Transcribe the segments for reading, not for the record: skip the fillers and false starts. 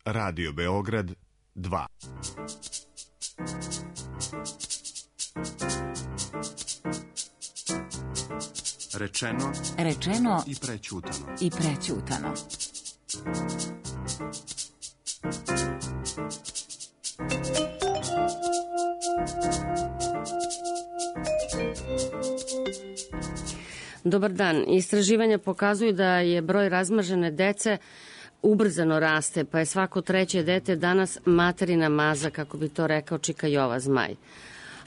Radio Beograd 2. Rečeno i prećutano. Dobar dan. Istraživanja pokazuju da je broj razmažene dece ubrzano raste, pa je svako treće dete danas materina maza, kako bi to rekao Čika Jova Zmaj.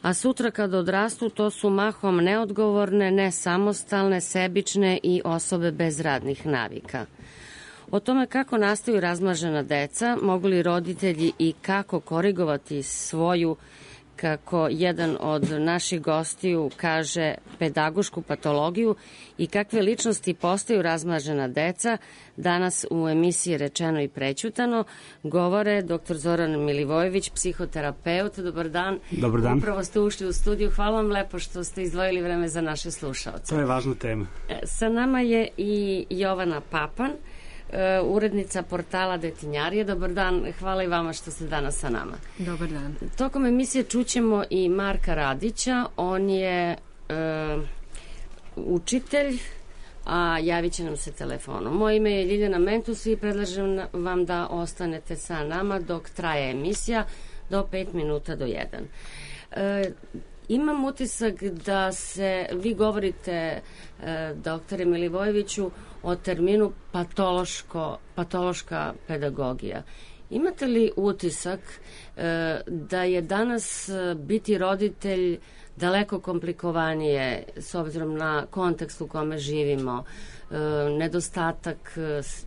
A sutra kada odrastu, to su mahom neodgovorne, nesamostalne, sebične i osobe bez radnih navika. O tome kako nastaju razmažena deca, mogu li roditelji i kako korigovati svoju, kako jedan od naših gostiju kaže, pedagošku patologiju i kakve ličnosti postaju razmažena deca, danas u emisiji Rečeno i prećutano govore dr. Zoran Milivojević, psihoterapeut. Dobar dan. Dobar dan. Upravo ste ušli u studiju. Hvala vam lepo što ste izdvojili vreme za naše slušaoce. To je važna tema. Sa nama je i Jovana Papan, urednica portala Detinjarije. Dobar dan, hvala i vama što ste danas sa nama. Dobar dan. Tokom emisije čućemo i Marka Radića, on je učitelj, a javit će nam se telefonom. Moje ime je Ljiljana Mentus i predlažem vam da ostanete sa nama dok traje emisija do 5 minuta do 1. Imam utisak da se, vi govorite, doktore Milivojeviću, o terminu patološka pedagogija. Imate li utisak da je danas biti roditelj daleko komplikovanije s obzirom na kontekst u kome živimo, nedostatak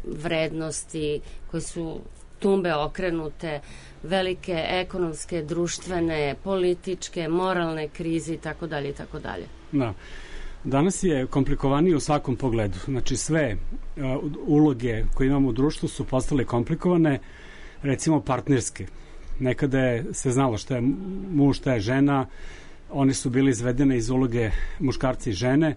vrednosti koje su tumbe okrenute, velike ekonomske, društvene, političke, moralne krize itd. itd. Da. Danas je komplikovanije u svakom pogledu. Znači sve uloge koje imamo u društvu su postale komplikovane, recimo partnerske. Nekada se znalo šta je muž, šta je žena, one su bili izvedene iz uloge muškarca i žene,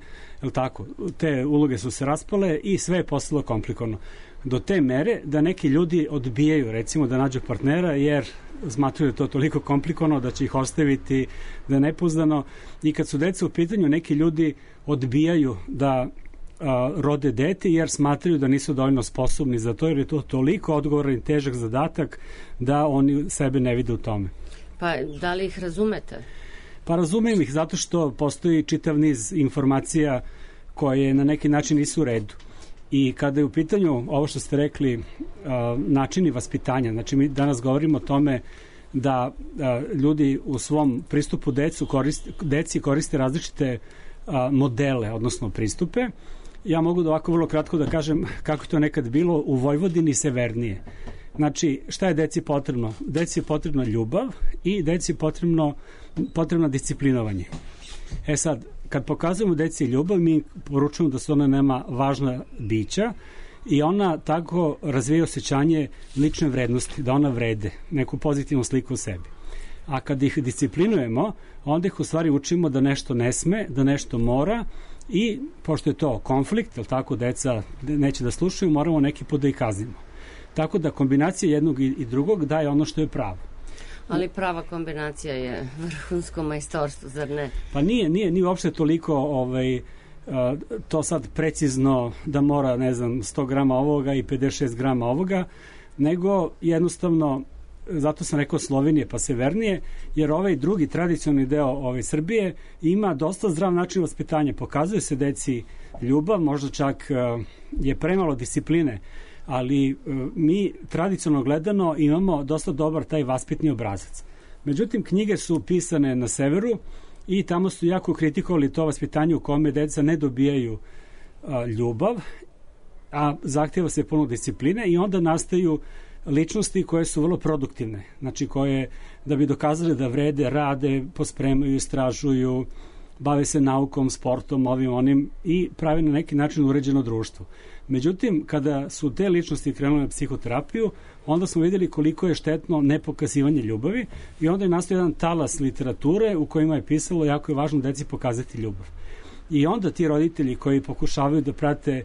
je li tako? Te uloge su se raspale i sve je postalo komplikovano. Do te mere da neki ljudi odbijaju, recimo, da nađu partnera, jer smatruju da to toliko komplikovano da će ih ostaviti, da je nepouzdano. I kad su deca u pitanju, neki ljudi odbijaju da rode dete jer smatraju da nisu dovoljno sposobni za to, jer je to toliko odgovoran i težak zadatak da oni sebe ne vide u tome. Pa da li ih razumete? Pa razumem ih zato što postoji čitav niz informacija koje na neki način nisu u redu. I kada je u pitanju ovo što ste rekli, načini vaspitanja, znači mi danas govorimo o tome da ljudi u svom pristupu deci koriste različite modele, odnosno pristupe. Ja mogu da ovako vrlo kratko da kažem kako je to nekad bilo u Vojvodini severnije. Znači, šta je deci potrebno? Deci je potrebna ljubav i deci je potrebno disciplinovanje. Sad, kad pokazujemo deci ljubav, mi poručujemo da su ona nema važna bića i ona tako razvija osjećanje lične vrednosti, da ona vrede, neku pozitivnu sliku o sebi. A kad ih disciplinujemo, onda ih u stvari učimo da nešto ne sme, da nešto mora i, pošto je to konflikt, jer tako deca neće da slušaju, moramo neki put da ih kaznimo. Tako da kombinacija jednog i drugog daje ono što je pravo. Ali prava kombinacija je vrhunsko majstorstvo, zar ne? Pa nije uopšte toliko to sad precizno da mora, 100 grama ovoga i 56 grama ovoga, nego jednostavno, zato sam rekao Slovenije pa severnije, jer ovaj drugi tradicionalni deo Srbije ima dosta zdrav način vaspitanja. Pokazuje se deci ljubav, možda čak je premalo discipline, ali mi tradicionalno gledano imamo dosta dobar taj vaspitni obrazac. Međutim, knjige su pisane na severu i tamo su jako kritikovali to vaspitanje u kome deca ne dobijaju ljubav, a zahtjeva se puno discipline i onda nastaju ličnosti koje su vrlo produktivne, znači koje da bi dokazali da vrede, rade, pospremaju, istražuju, bave se naukom, sportom, onim i pravi na neki način uređeno društvo. Međutim, kada su te ličnosti krenule na psihoterapiju, onda smo vidjeli koliko je štetno nepokazivanje ljubavi i onda je nastao jedan talas literature u kojima je pisalo jako je važno deci pokazati ljubav. I onda ti roditelji koji pokušavaju da prate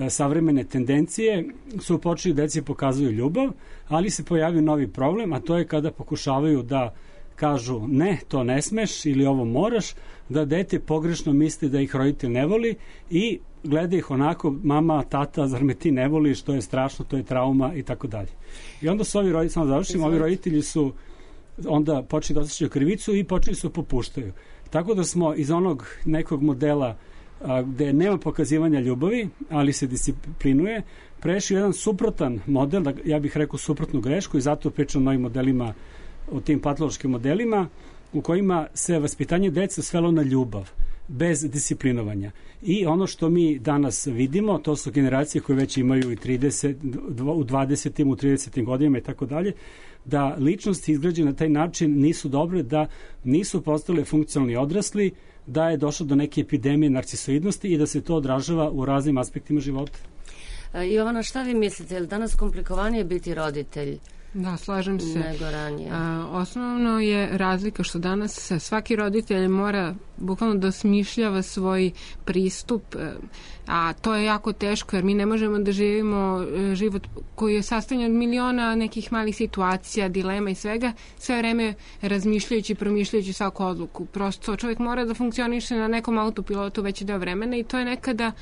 savremene tendencije su počeli deci pokazuju ljubav, ali se pojavio novi problem, a to je kada pokušavaju da kažu ne, to ne smeš ili ovo moraš, da dete pogrešno misli da ih roditelj ne voli i gleda ih onako, mama, tata, zar me ti ne voliš, to je strašno, to je trauma i tako dalje. I onda su ovi roditelji, samo završim, ovi roditelji su onda počeli da osjećaju krivicu i počeli su popuštaju. Tako da smo iz onog nekog modela gde nema pokazivanja ljubavi, ali se disciplinuje, prešli jedan suprotan model, ja bih rekao suprotnu grešku i zato pričam o novim modelima, o tim patološkim modelima u kojima se vaspitanje dece svelo na ljubav, bez disciplinovanja. I ono što mi danas vidimo, to su generacije koje već imaju i 30, u 20. u 30. godinama i tako dalje, da ličnosti izgrađene na taj način nisu dobre, da nisu postale funkcionalni odrasli, da je došlo do neke epidemije narcisoidnosti i da se to odražava u raznim aspektima života. Jovana, šta vi mislite? Je li danas komplikovanije biti roditelj? Da, slažem se. Nego ranije. Osnovno je razlika što danas svaki roditelj mora bukvalno da osmišljava svoj pristup, a to je jako teško jer mi ne možemo da živimo život koji je sastavljen od miliona nekih malih situacija, dilema i svega, sve vreme razmišljajući, promišljajući svaku odluku. Prosto čovjek mora da funkcioniše na nekom autopilotu već deo vremena i to je nekada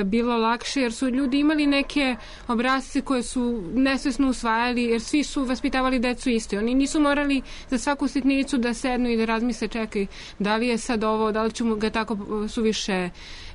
bilo lakše jer su ljudi imali neke obrasce koje su nesvesno usvajali jer svi su vaspitavali decu isto. Oni nisu morali za svaku sitnicu da sednu i da razmisle čekaj da li je sad ovo, da li ću ga tako suviše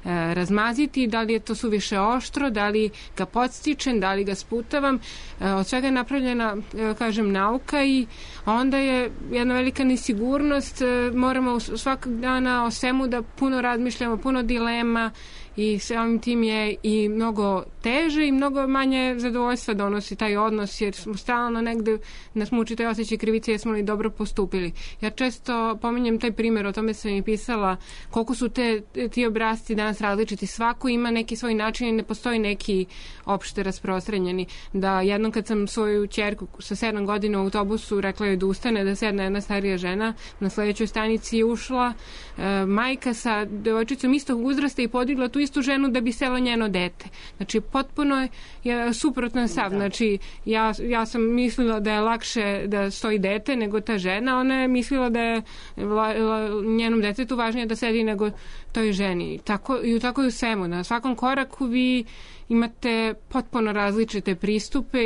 razmaziti, da li je to suviše oštro, da li ga podstičem, da li ga sputavam. Od svega je napravljena, kažem, nauka i onda je jedna velika nesigurnost. Moramo svakog dana o svemu da puno razmišljamo, puno dilema i samim tim je i mnogo teže i mnogo manje zadovoljstva donosi taj odnos jer smo stalno negde nas muči taj osjećaj krivice jer smo li dobro postupili. Ja često pominjem taj primjer, o tome sam i pisala koliko su ti obrasci danas različiti. Svako ima neki svoj način i ne postoji neki opšte rasprostranjeni. Da jednom kad sam svoju ćerku sa 7 godina u autobusu rekla joj da ustane, da sedne jedna starija žena, na sledećoj stanici je ušla majka sa devojčicom istog uzrasta i podigla tu istu ženu da bi selo njeno dete. Znači, potpuno je suprotan stav. Znači, ja sam mislila da je lakše da stoji dete nego ta žena, ona je mislila da je njenom detetu važnije da sedi nego toj ženi. Tako i u svemu. Na svakom koraku vi imate potpuno različite pristupe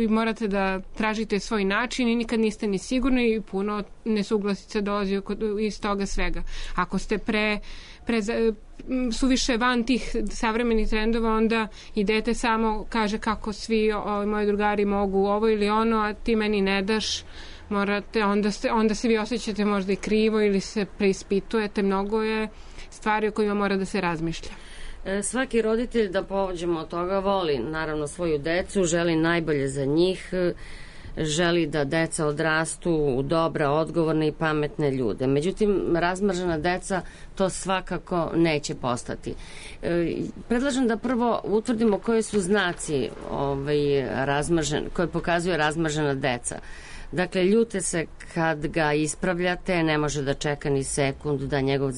i morate da tražite svoj način i nikad niste ni sigurni i puno nesuglasica dolazi iz toga svega. Ako ste suviše van tih savremenih trendova, onda i dete samo kaže kako svi moji drugari mogu ovo ili ono, a ti meni ne daš, morate, onda se vi osjećate možda i krivo ili se preispitujete. Mnogo je stvari o kojima mora da se razmišlja. Svaki roditelj, da pođemo od toga, voli naravno svoju decu, želi najbolje za njih, želi da deca odrastu u dobra, odgovorne i pametne ljude. Međutim, razmržena deca to svakako neće postati. Predlažem da prvo utvrdimo koje su znaci koje pokazuje razmržena deca. Dakle, ljute se kad ga ispravljate, ne može da čeka ni sekundu da njegov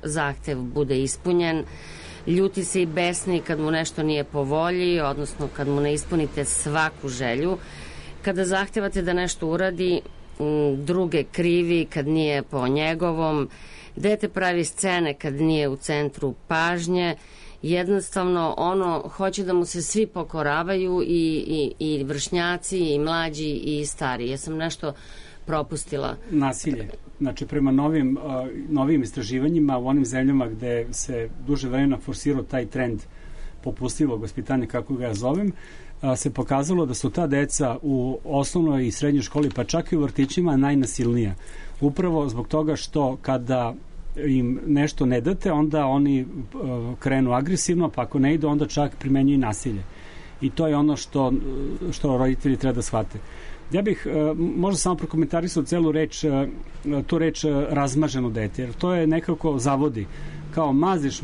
zahtev bude ispunjen. Ljuti se i besni kad mu nešto nije po volji, odnosno kad mu ne ispunite svaku želju. Kada zahtevate da nešto uradi, druge krivi kad nije po njegovom. Dete pravi scene kad nije u centru pažnje. Jednostavno, hoće da mu se svi pokoravaju i vršnjaci, i mlađi, i stari. Ja sam nešto propustila. Nasilje. Znači, prema novim istraživanjima u onim zemljama gde se duže vremena forsirao taj trend popustlivog vaspitanja, kako ga ja zovem, se pokazalo da su ta deca u osnovnoj i srednjoj školi, pa čak i u vrtićima, najnasilnija. Upravo zbog toga što kada im nešto ne date, onda oni krenu agresivno, pa ako ne idu, onda čak primenjuju nasilje. I to je ono što roditelji treba da shvate. Ja bih možda samo prokomentarisao tu reč razmaženo dete, jer to je nekako zavodi. Kao maziš,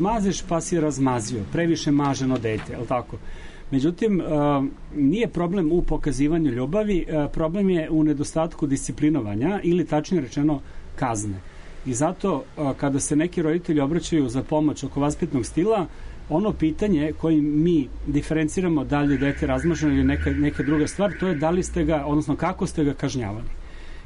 pa si razmazio, previše maženo dete, je li tako? Međutim, nije problem u pokazivanju ljubavi, problem je u nedostatku disciplinovanja ili tačnije rečeno kazne. I zato kada se neki roditelji obraćaju za pomoć oko vaspitnog stila, ono pitanje koji mi diferenciramo da li je dete razmaženo ili neka druga stvar, to je da li ste ga, odnosno kako ste ga kažnjavali.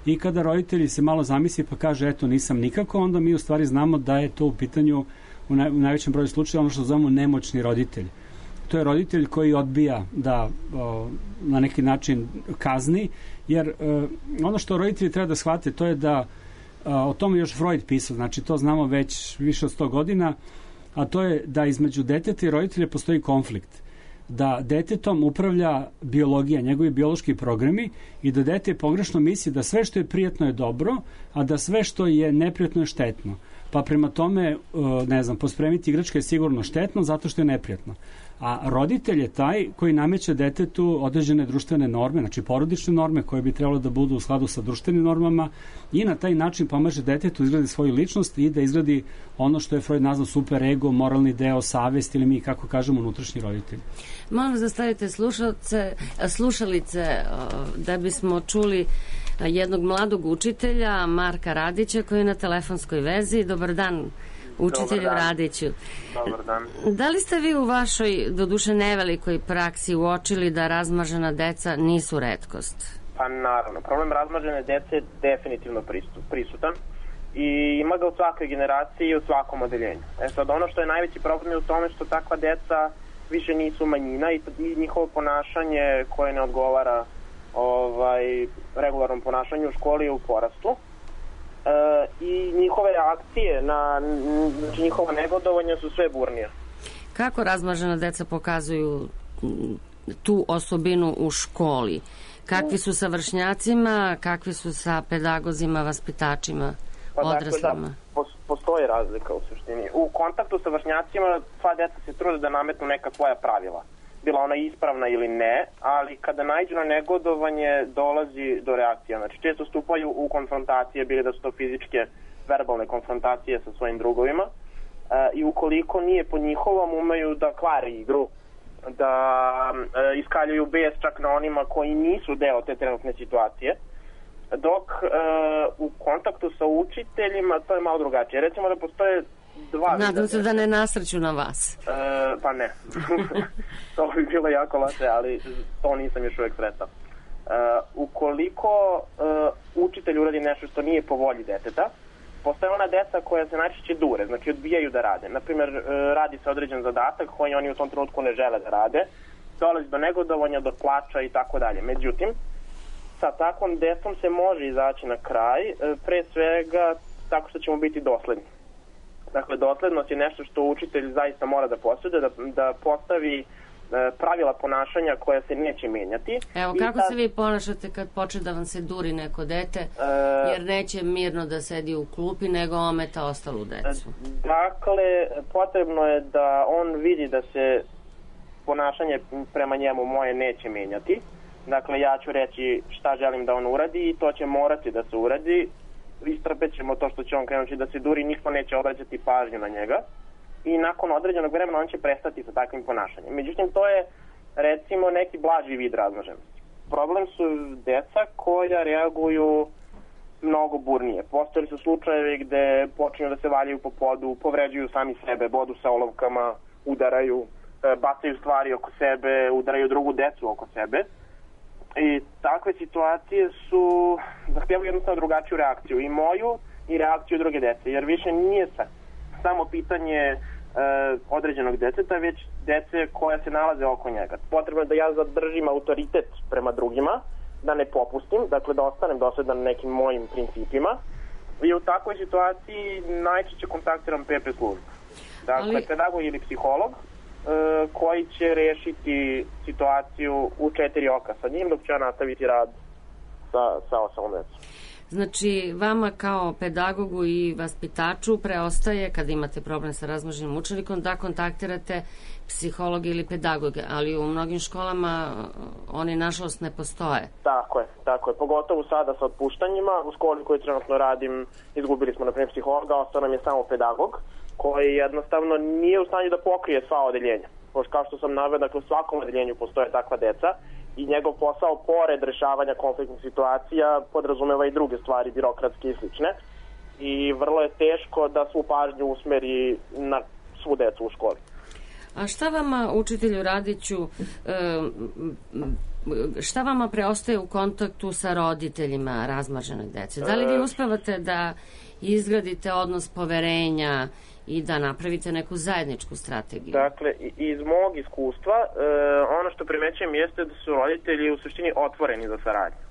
I kada roditelji se malo zamisli pa kaže eto nisam nikako, onda mi u stvari znamo da je to u pitanju u najvećem broju slučaja ono što zovemo nemoćni roditelj. To je roditelj koji odbija da na neki način kazni, jer ono što roditelji treba da shvate to je da o tome još Freud pisao, znači to znamo već više od 100 godina, a to je da između deteta i roditelja postoji konflikt. Da detetom upravlja biologija, njegovi biološki programi i da dete pogrešno misli da sve što je prijatno je dobro, a da sve što je neprijatno je štetno. Pa prema tome, ne znam, pospremiti igračke je sigurno štetno zato što je neprijatno. A roditelj je taj koji nameće detetu određene društvene norme, znači porodične norme koje bi trebalo da budu u skladu sa društvenim normama i na taj način pomaže detetu izgradi svoju ličnost i da izgradi ono što je Freud nazvao super ego, moralni deo, savest ili mi kako kažemo unutrašnji roditelj. Molim vas da stavite slušalice da bismo čuli jednog mladog učitelja, Marka Radića, koji je na telefonskoj vezi. Dobar dan, učitelju Radiću. Dobar dan. Da li ste vi u vašoj, doduše nevelikoj praksi, uočili da razmažena deca nisu retkost? Pa naravno, problem razmažene dece je definitivno prisutan i ima ga u svakoj generaciji i u svakom odeljenju. Sad, ono što je najveći problem je u tome što takva deca više nisu manjina i njihovo ponašanje koje ne odgovara regularnom ponašanju u školi je u porastu. I njihove reakcije znači njihova negodovanja su sve burnije. Kako razmažena deca pokazuju tu osobinu u školi? Kakvi su sa vršnjacima, kakvi su sa pedagozima, vaspitačima, odraslima? Dakle, postoji razlika u suštini. U kontaktu sa vršnjacima sva deca se trude da nametnu neka svoja pravila. Bila ona ispravna ili ne, ali kada naiđu na negodovanje dolazi do reakcija. Znači često stupaju u konfrontacije, bili da su to fizičke, verbalne konfrontacije sa svojim drugovima i ukoliko nije po njihovom umeju da kvare igru, da iskaljuju bes čak na onima koji nisu deo te trenutne situacije, dok u kontaktu sa učiteljima to je malo drugačije. Recimo da postoje dva... Nadam se da ne nasreću na vas. Pa ne. To bi bilo jako loše, ali to nisam još uvek sretao. Ukoliko učitelj uradi nešto što nije po volji deteta, postoje ona deca koja se najčešće dure, znači odbijaju da rade. Naprimjer, radi se određen zadatak koji oni u tom trenutku ne žele da rade, dolazi do negodovanja, do plača i tako dalje. Međutim, sa takvom decom se može izaći na kraj, pre svega tako što ćemo biti dosledni. Dakle, doslednost je nešto što učitelj zaista mora da posjeduje, da postavi pravila ponašanja koja se neće menjati. Evo, kako se vi ponašate kad počne da vam se duri neko dete, jer neće mirno da sedi u klupi, nego ometa ostalu decu? Dakle, potrebno je da on vidi da se ponašanje prema njemu moje neće menjati. Dakle, ja ću reći šta želim da on uradi i to će morati da se uradi. Istrpet ćemo to što će on krenuti da se duri, niko neće obraćati pažnju na njega i nakon određenog vremena on će prestati sa takvim ponašanjem. Međutim, to je recimo neki blaži vid razmaženosti. Problem su deca koja reaguju mnogo burnije. Postojali su slučajevi gde počinju da se valjaju po podu, povređuju sami sebe, bodu sa olovkama, udaraju, bacaju stvari oko sebe, udaraju drugu decu oko sebe. I takve situacije su zahtevaju jednostavno drugačiju reakciju, i moju i reakciju druge dece, jer više nije samo pitanje određenog deteta, već dece koja se nalaze oko njega. Potrebno je da ja zadržim autoritet prema drugima, da ne popustim, dakle da ostanem dosledan nekim mojim principima, i u takvoj situaciji najčešće kontaktiram PP službu. Dakle, pedagog ili psiholog koji će rešiti situaciju u 4 oka sa njim, dok će ja nastaviti rad sa osalom decom. Znači, vama kao pedagogu i vaspitaču preostaje, kada imate problem sa razmaženim učenikom, da kontaktirate psihologa ili pedagoga, ali u mnogim školama oni nažalost ne postoje. Tako je. Pogotovo sada sa otpuštanjima. U školi koju trenutno radim izgubili smo, na primjer, psihologa, ostao nam je samo pedagog, koji jednostavno nije u stanju da pokrije sva odeljenja. Kao što sam naveo, dakle u svakom odeljenju postoje takva deca i njegov posao, pored rešavanja konfliktnih situacija, podrazumeva i druge stvari, birokratske i slične. I vrlo je teško da svu pažnju usmeri na svu decu u školi. A šta vama, učitelju Radiću, šta vama preostaje u kontaktu sa roditeljima razmažene dece? Da li vi uspevate da izgradite odnos poverenja i da napravite neku zajedničku strategiju? Dakle, iz mog iskustva, ono što primećujem jeste da su roditelji u suštini otvoreni za saradnju.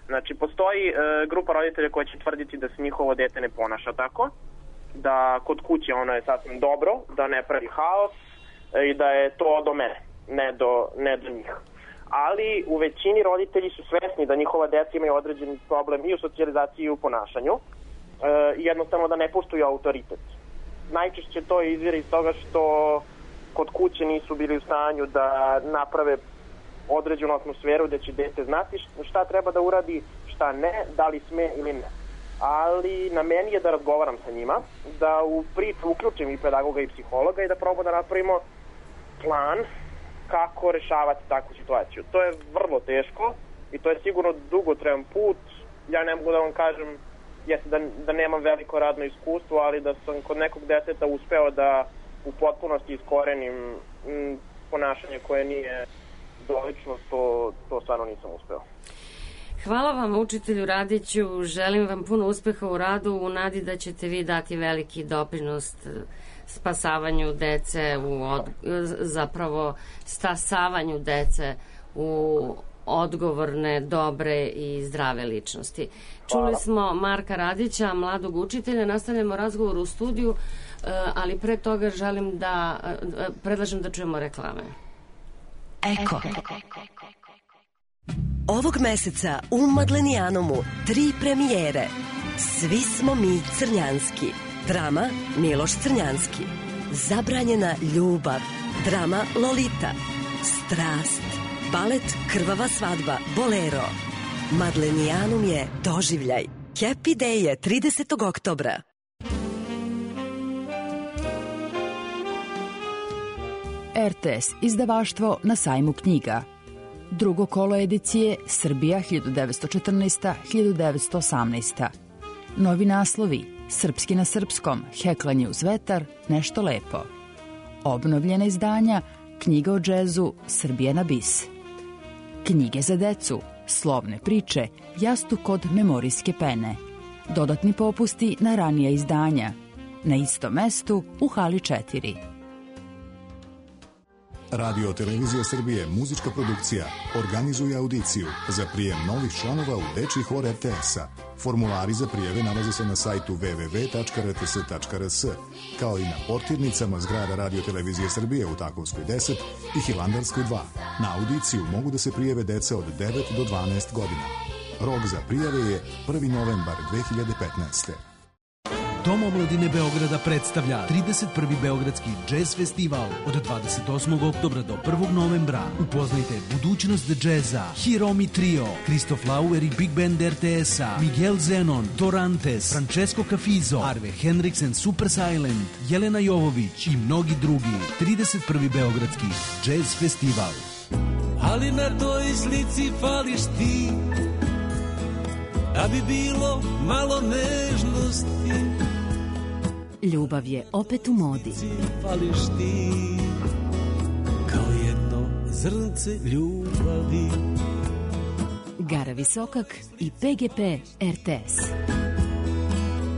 Znači, postoji grupa roditelja koja će tvrditi da se njihovo dete ne ponaša tako, da kod kuće ono je sasvim dobro, da ne pravi haos i da je to do mene, ne do njih. Ali u većini roditelji su svesni da njihova deca imaju određeni problem i u socijalizaciji i u ponašanju, jednostavno da ne poštuju autoritet. Najčešće to izvire iz toga što kod kuće nisu bili u stanju da naprave određenu atmosferu da će dete znati šta treba da uradi, šta ne, da li sme ili ne. Ali na meni je da razgovaram sa njima, da u priču uključim i pedagoga i psihologa i da probamo da napravimo plan kako rešavati takvu situaciju. To je vrlo teško i to je sigurno dugotrajan put. Ja ne mogu da vam kažem da nemam veliko radno iskustvo, ali da sam kod nekog deteta uspeo da u potpunosti iskorenim ponašanje koje nije dolično, to stvarno nisam uspeo. Hvala vam, učitelju Radiću, želim vam puno uspeha u radu, u nadi da ćete vi dati veliki doprinos spasavanju dece, zapravo stasavanju dece u odgovorne, dobre i zdrave ličnosti. Hvala. Čuli smo Marka Radića, mladog učitelja, nastavljamo razgovor u studiju, ali pre toga predlažem da čujemo reklame. Eko. Ovog meseca u Madlenijanomu 3 premijere. Svi smo mi Crnjanski. Drama Miloš Crnjanski. Zabranjena ljubav. Drama Lolita. Strast. Balet Krvava svadba Bolero. Madlenijanum je doživljaj. Happy Day je 30. oktobra. RTS izdavaštvo na sajmu knjiga. Drugo kolo edicije Srbija 1914-1918. Novi naslovi Srpski na srpskom, Heklanje uz vetar, Nešto lepo. Obnovljena izdanja Knjiga o džezu Srbija na bis. Knjige za decu, Slovne priče, Jastuk od memorijske pene. Dodatni popusti na ranija izdanja. Na istom mestu u hali 4. Radio Televizija Srbije, muzička produkcija, organizuje audiciju za prijem novih članova u dečji hor RTS-a. Formulari za prijeve nalaze se na sajtu www.rts.rs, kao i na portirnicama zgrada Radio Televizije Srbije u Takovskoj 10 i Hilandarskoj 2. Na audiciju mogu da se prijave deca od 9 do 12 godina. Rok za prijave je 1. novembar 2015. Dom omladine Beograda predstavlja 31. Beogradski džez festival od 28. oktobra do 1. novembra. Upoznajte budućnost džeza, Hiromi Trio, Kristof Lauer i Big Band RTS-a, Miguel Zenon, Dorantes, Francesco Cafizo, Arve Henriksen, Super Silent, Jelena Jovović i mnogi drugi. 31. Beogradski džez festival. Ali na toj slici fališ ti, da bi bilo malo nežnosti. Ljubav je opet u modi. Fališ ti, kao jedno zrnce ljubavi. Gara Visokak i PGP RTS.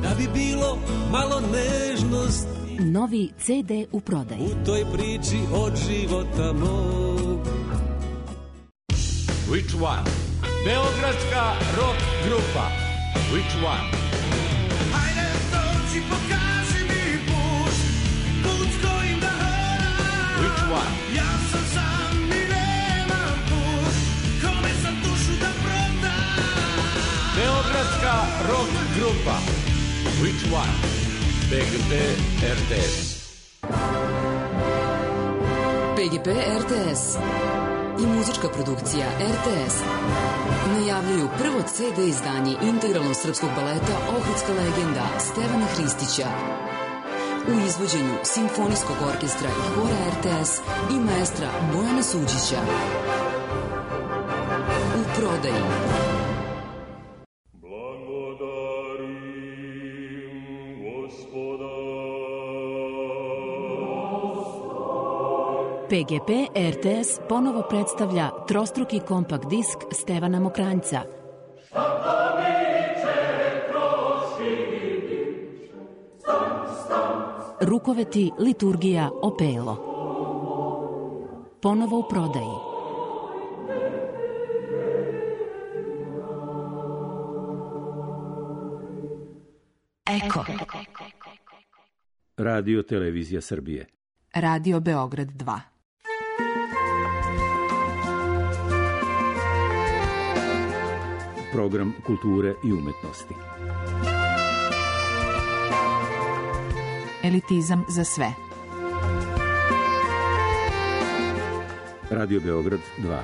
Da bi bilo malo nežnosti. Novi CD u prodaji. U toj priči od života mog. Which one? Beogradska rock grupa. Which one? Hajde dođi, pokaži mi put, put kojim da hodam. Which one? Ja sam sam i nemam put, kome sam dušu da prodam. Beogradska rock grupa. Which one? PGP RTS. PGP RTS i muzička produkcija RTS najavljuju prvo CD izdanje integralnog srpskog baleta Ohridska legenda Stevana Hristića u izvođenju Simfonijskog orkestra i hora RTS i maestra Bojana Suđića. U prodaji. PGP RTS ponovo predstavlja trostruki kompakt disk Stevana Mokranjca. Rukoveti, liturgija, opelo. Ponovo u prodaji. Eko. Radio Televizija Srbije. Radio Beograd 2. Program kulture i umetnosti. Elitizam za sve. Radio Beograd 2.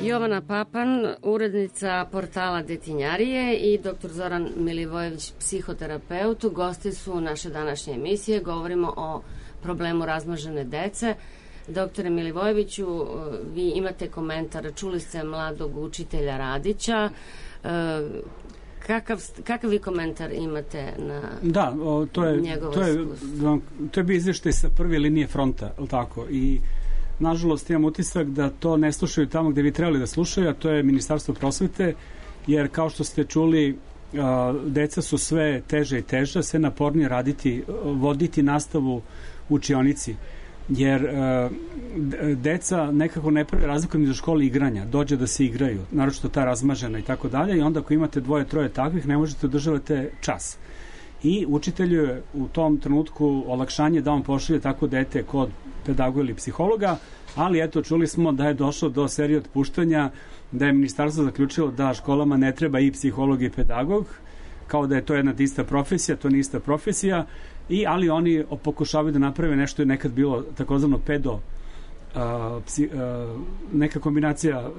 Jovana Papan, urednica portala Detinjarije, i dr. Zoran Milivojević, psihoterapeut, gosti su naše današnje emisije. Govorimo o problemu razmnožene dece. Doktore Milivojeviću, vi imate komentar, čuli ste mladog učitelja Radića. Kakav vi komentar imate na njegovo iskustvo? To je bio izveštaj sa prve linije fronta, je li tako? I nažalost imam utisak da to ne slušaju tamo gde bi trebali da slušaju, a to je Ministarstvo prosvete, jer kao što ste čuli, deca su sve teže i teže, sve napornije raditi, voditi nastavu u učionici, jer deca nekako ne pravi razliku između škole i igranja, dođe da se igraju, naročito ta razmažena i tako dalje, i onda ako imate 2-3 takvih, ne možete održavati čas. I učitelju je u tom trenutku olakšanje da on pošalje tako dete kod pedagoga ili psihologa, ali eto, čuli smo da je došlo do serije otpuštanja, da je ministarstvo zaključilo da školama ne treba i psiholog i pedagog, kao da je to jedna ista profesija, to nije ista profesija, ali oni pokušavaju da naprave nešto je nekad bilo takozvano neka kombinacija.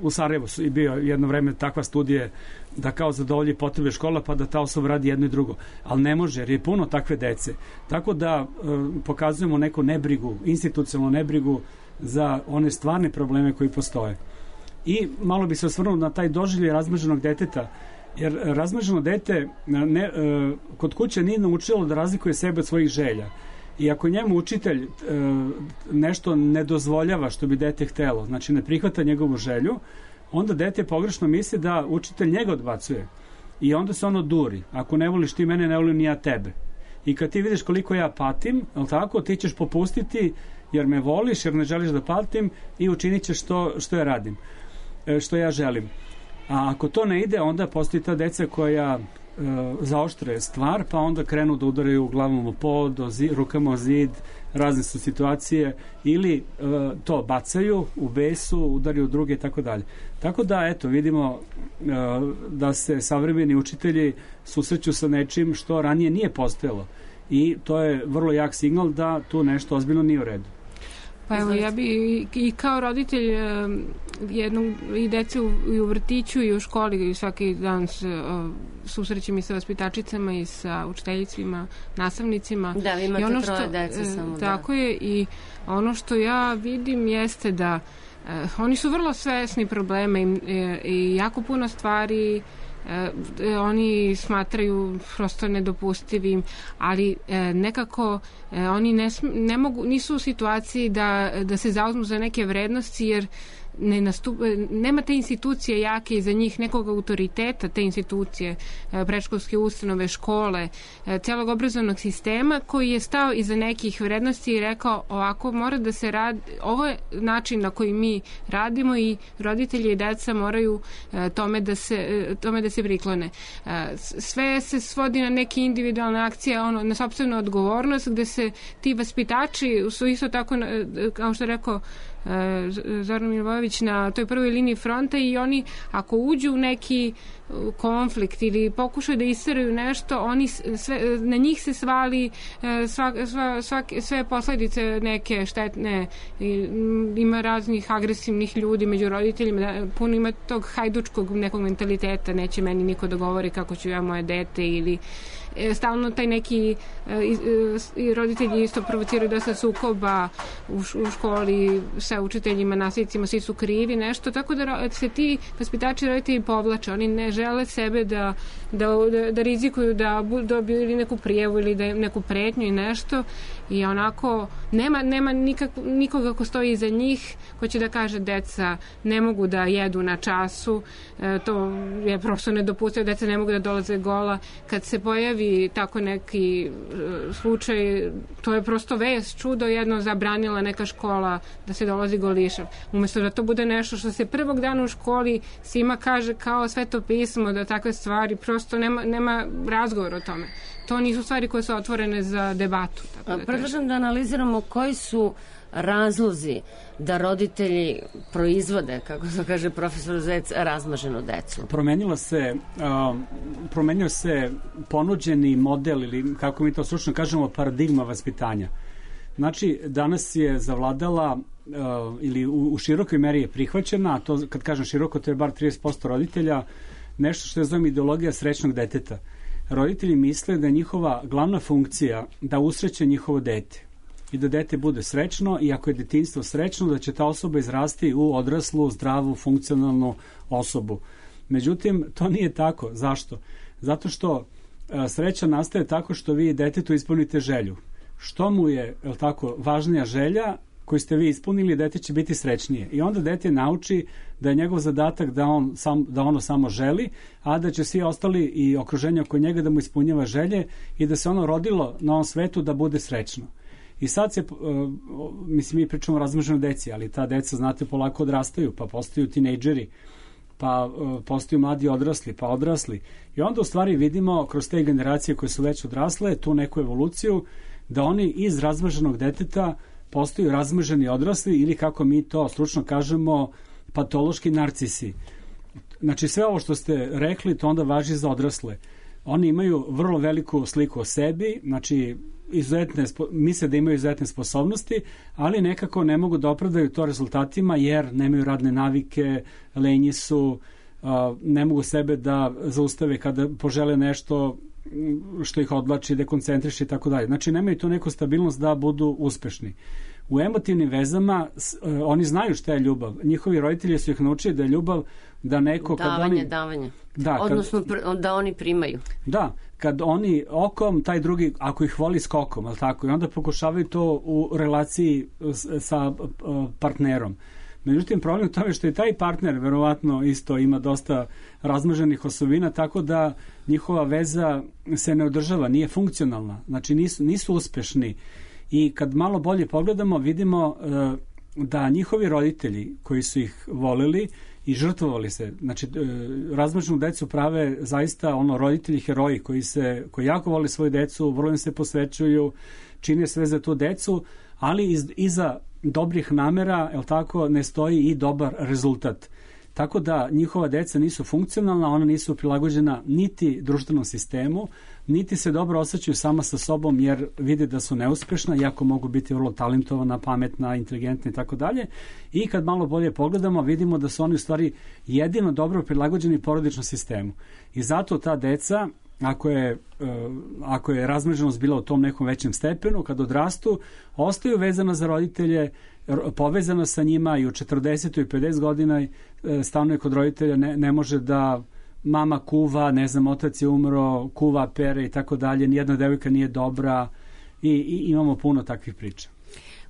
U Sarajevu je bio jedno vreme takva studija da kao zadovolji potrebe škola pa da ta osoba radi jedno i drugo. Ali ne može, jer je puno takve dece. Tako da pokazujemo neku nebrigu, institucionalnu nebrigu za one stvarne probleme koji postoje. I malo bi se osvrnuo na taj doživljaj razmnoženog deteta, jer razmnoženo dete kod kuće nije naučilo da razlikuje sebe od svojih želja. I ako njemu učitelj nešto ne dozvoljava što bi dete htelo, znači ne prihvata njegovu želju, onda dete pogrešno misli da učitelj njega odbacuje. I onda se ono duri. Ako ne voliš ti mene, ne volim ni ja tebe. I kad ti vidiš koliko ja patim, tako, ti ćeš popustiti jer me voliš, jer ne želiš da patim i učinit ćeš što ja radim, što ja želim. A ako to ne ide, onda postoji ta deca koja zaoštre stvar, pa onda krenu da udaraju glavom o pod, rukama o zid, razne su situacije, ili to bacaju u besu, udaraju druge i tako dalje. Tako da, eto, vidimo da se savremeni učitelji susreću sa nečim što ranije nije postojalo. I to je vrlo jak signal da tu nešto ozbiljno nije u redu. Pa evo, ja bi i kao roditelj i dece i u vrtiću i u školi i svaki dan susrećem i sa vaspitačicama i sa učiteljicima, nastavnicima. Da, vi imate 3 dece samo. Tako je, i ono što ja vidim jeste da oni su vrlo svesni problema i jako puno stvari oni smatraju prosto nedopustivim, ali nekako oni ne mogu, nisu u situaciji da se zauzmu za neke vrednosti, jer nema te institucije jake iza njih, nekog autoriteta te institucije, predškolske ustanove, škole, celog obrazovnog sistema koji je stao iza nekih vrednosti i rekao ovako mora da se radi, ovo je način na koji mi radimo i roditelji i deca moraju tome da se priklone. Sve se svodi na neke individualne akcije, na sopstvenu odgovornost, gde se ti vaspitači su isto tako, kao što je rekao Zoran Milivojević, na toj prvoj liniji fronta, i oni ako uđu u neki konflikt ili pokušaju da isteraju nešto, na njih se svali sve posledice neke štetne. Ima raznih agresivnih ljudi među roditeljima, puno ima tog hajdučkog nekog mentaliteta, neće meni niko da govori kako ću ja moje dete, ili stalno taj neki i roditelji isto provociraju dosta sukoba u školi sa učiteljima, nastavnicima, svi su krivi nešto, tako da se ti vaspitači roditelji povlače, oni ne žele sebe da rizikuju da dobiju neku prijavu ili da neku pretnju i nešto, i onako nema nikoga ko stoji iza njih ko će da kaže deca ne mogu da jedu na času, to je prosto nedopustivo, deca ne mogu da dolaze gola. Kad se pojavi tako neki slučaj, to je prosto vest, čudo, jedno zabranila neka škola da se dolazi golišav. Umesto da to bude nešto što se prvog dana u školi svima kaže kao Sveto pismo, da takve stvari, prosto nema razgovor o tome. To nisu stvari koje su otvorene za debatu. Predlažem da analiziramo koji su razlozi da roditelji proizvode, kako se kaže profesor Zec, razmaženu decu. Promenio se ponuđeni model, ili kako mi to stručno kažemo, paradigma vaspitanja. Znači, danas je zavladala ili u širokoj meri je prihvaćena, a to kad kažem široko, to je bar 30% roditelja, nešto što je zovem ideologija srećnog deteta. Roditelji misle da je njihova glavna funkcija da usreće njihovo dete i da dete bude srećno, i ako je detinjstvo srećno, da će ta osoba izrasti u odraslu, zdravu, funkcionalnu osobu. Međutim, to nije tako. Zašto? Zato što sreća nastaje tako što vi detetu ispunite želju. Što mu je, tako, važnija želja koju ste vi ispunili, dete će biti srećnije. I onda dete nauči da je njegov zadatak da ono samo želi, a da će svi ostali i okruženje oko njega da mu ispunjava želje i da se ono rodilo na ovom svetu da bude srećno. I sad se, mi pričamo o razmnoženoj deci, ali ta deca, znate, polako odrastaju, pa postaju tinejdžeri, pa postaju mladi odrasli, pa odrasli. I onda u stvari vidimo kroz te generacije koje su već odrasle, tu neku evoluciju, da oni iz razmnoženog deteta postaju razmnoženi odrasli, ili kako mi to stručno kažemo, patološki narcisi. Znači, sve ovo što ste rekli, to onda važi za odrasle. Oni imaju vrlo veliku sliku o sebi, znači misle da imaju izuzetne sposobnosti, ali nekako ne mogu da opravdaju to rezultatima jer nemaju radne navike, lenji su, ne mogu sebe da zaustave kada požele nešto što ih odvlači, dekoncentriše i tako dalje. Znači, nemaju tu neku stabilnost da budu uspešni. U emotivnim vezama oni znaju šta je ljubav. Njihovi roditelji su ih naučili da je ljubav da neko... Davanje. Odnosno da oni primaju. Da, kad oni okom, taj drugi, ako ih voli skokom, ali tako, i onda pokušavaju to u relaciji sa partnerom. Međutim, problem u tome što je taj partner verovatno isto ima dosta razmnoženih osobina, tako da njihova veza se ne održava, nije funkcionalna, znači nisu uspešni. I kad malo bolje pogledamo, vidimo da njihovi roditelji koji su ih voleli i žrtvovali se, znači razmnoženu decu prave zaista roditelji heroji koji jako vole svoju decu, vrlo im se posvećuju, čine sve za tu decu, ali iza dobrih namera, ne stoji i dobar rezultat. Tako da njihova deca nisu funkcionalna, ona nisu prilagođena niti društvenom sistemu, niti se dobro osjećaju sama sa sobom jer vide da su neuspešna, iako mogu biti vrlo talentovana, pametna, inteligentna i tako dalje. I kad malo bolje pogledamo, vidimo da su oni u stvari jedino dobro prilagođeni porodičnom sistemu. I zato ta deca, ako je razmnoženost bila u tom nekom većem stepenu, kad odrastu, ostaju vezana za roditelje, povezana sa njima i u 40 i 50 godina stanuje kod roditelja, ne može da mama kuva, ne znam, otac je umro, kuva, pere i tako dalje, nijedna devojka nije dobra i imamo puno takvih priča.